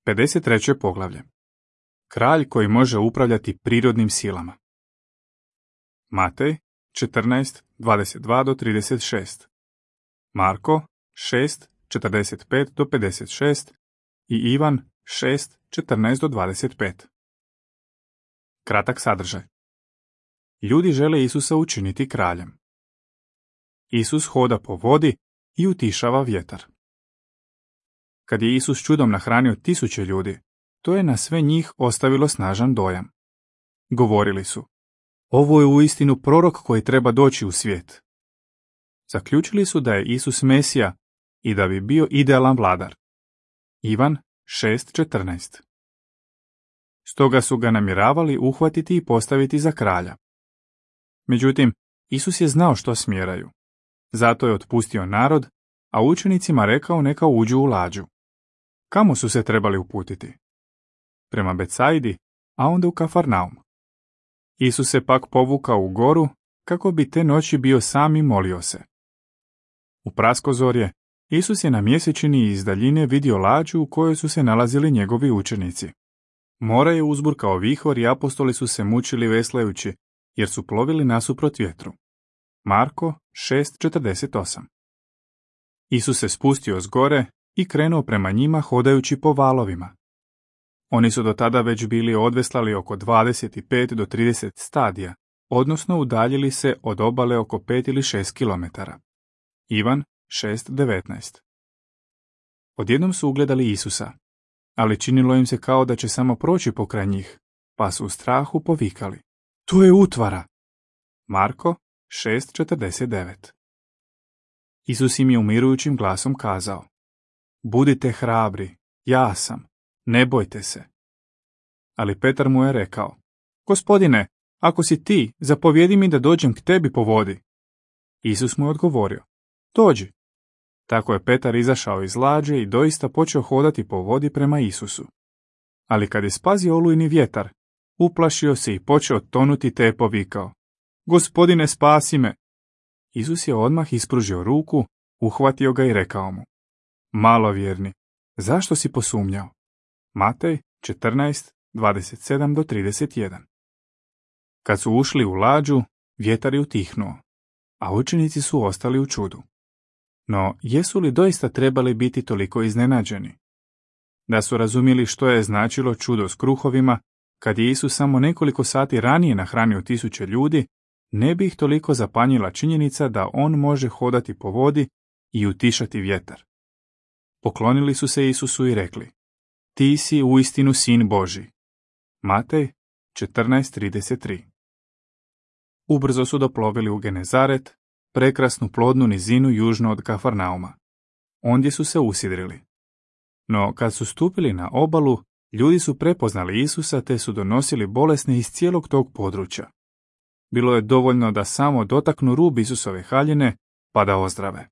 53. poglavlje. Kralj koji može upravljati prirodnim silama. Matej 14:22-36. Marko 6:45-56 i Ivan 6:14-25. Kratak sadržaj. Ljudi žele Isusa učiniti kraljem. Isus hoda po vodi i utišava vjetar. Kad je Isus čudom nahranio 1000 ljudi, to je na sve njih ostavilo snažan dojam. Govorili su: ovo je uistinu prorok koji treba doći u svijet. Zaključili su da je Isus Mesija i da bi bio idealan vladar. Ivan 6:14. Stoga su ga namjeravali uhvatiti i postaviti za kralja. Međutim, Isus je znao što smjeraju. Zato je otpustio narod, a učenicima rekao neka uđu u lađu. Kamo su se trebali uputiti? Prema Betsaidi, a onda u Kafarnaum. Isus se pak povukao u goru, kako bi te noći bio sam i molio se. U praskozorje, Isus je na mjesečini iz daljine vidio lađu u kojoj su se nalazili njegovi učenici. More je uzburkao vihor i apostoli su se mučili veslajući, jer su plovili nasuprot vjetru. Marko 6:48. Isus se spustio s gore i krenuo prema njima hodajući po valovima. Oni su do tada već bili odveslali oko 25 do 30 stadija, odnosno udaljili se od obale oko 5 ili 6 kilometara. Ivan 6:19. Odjednom su ugledali Isusa, ali činilo im se kao da će samo proći pokraj njih, pa su u strahu povikali: to je utvara! Marko 6:49. Isus im je umirujućim glasom kazao: budite hrabri, ja sam, ne bojte se. Ali Petar mu je rekao: Gospodine, ako si ti, zapovjedi mi da dođem k tebi po vodi. Isus mu je odgovorio: dođi. Tako je Petar izašao iz lađe i doista počeo hodati po vodi prema Isusu. Ali kad je spazio olujni vjetar, uplašio se i počeo tonuti te je povikao: Gospodine, spasi me! Isus je odmah ispružio ruku, uhvatio ga i rekao mu: malovjerni, zašto si posumnjao? Matej 14:27-31. Kad su ušli u lađu, vjetar je utihnuo, a učenici su ostali u čudu. No, jesu li doista trebali biti toliko iznenađeni? Da su razumjeli što je značilo čudo s kruhovima, kad je Isus samo nekoliko sati ranije nahranio 1000 ljudi, ne bi ih toliko zapanjila činjenica da on može hodati po vodi i utišati vjetar. Poklonili su se Isusu i rekli: ti si uistinu sin Božji. Matej 14:33. Ubrzo su doplovili u Genezaret, prekrasnu plodnu nizinu južno od Kafarnauma. Ondje su se usidrili. No, kad su stupili na obalu, ljudi su prepoznali Isusa te su donosili bolesne iz cijelog tog područja. Bilo je dovoljno da samo dotaknu rub Isusove haljine, pa da ozdrave.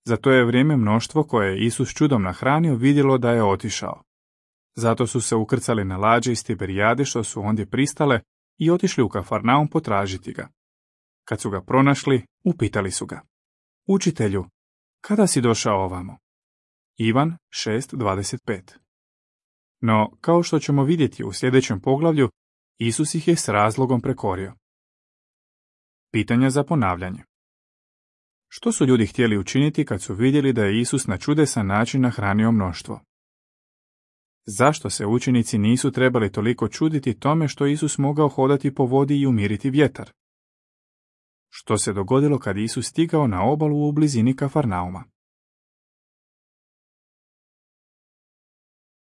Za to je vrijeme mnoštvo koje je Isus čudom nahranio vidjelo da je otišao. Zato su se ukrcali na lađe iz Tiberijade što su ondje pristale i otišli u Kafarnaum potražiti ga. Kad su ga pronašli, upitali su ga: učitelju, kada si došao ovamo? Ivan 6:25. No, kao što ćemo vidjeti u sljedećem poglavlju, Isus ih je s razlogom prekorio. Pitanja za ponavljanje. Što su ljudi htjeli učiniti kad su vidjeli da je Isus na čudesan način nahranio mnoštvo? Zašto se učenici nisu trebali toliko čuditi tome što Isus mogao hodati po vodi i umiriti vjetar? Što se dogodilo kad Isus stigao na obalu u blizini Kafarnauma?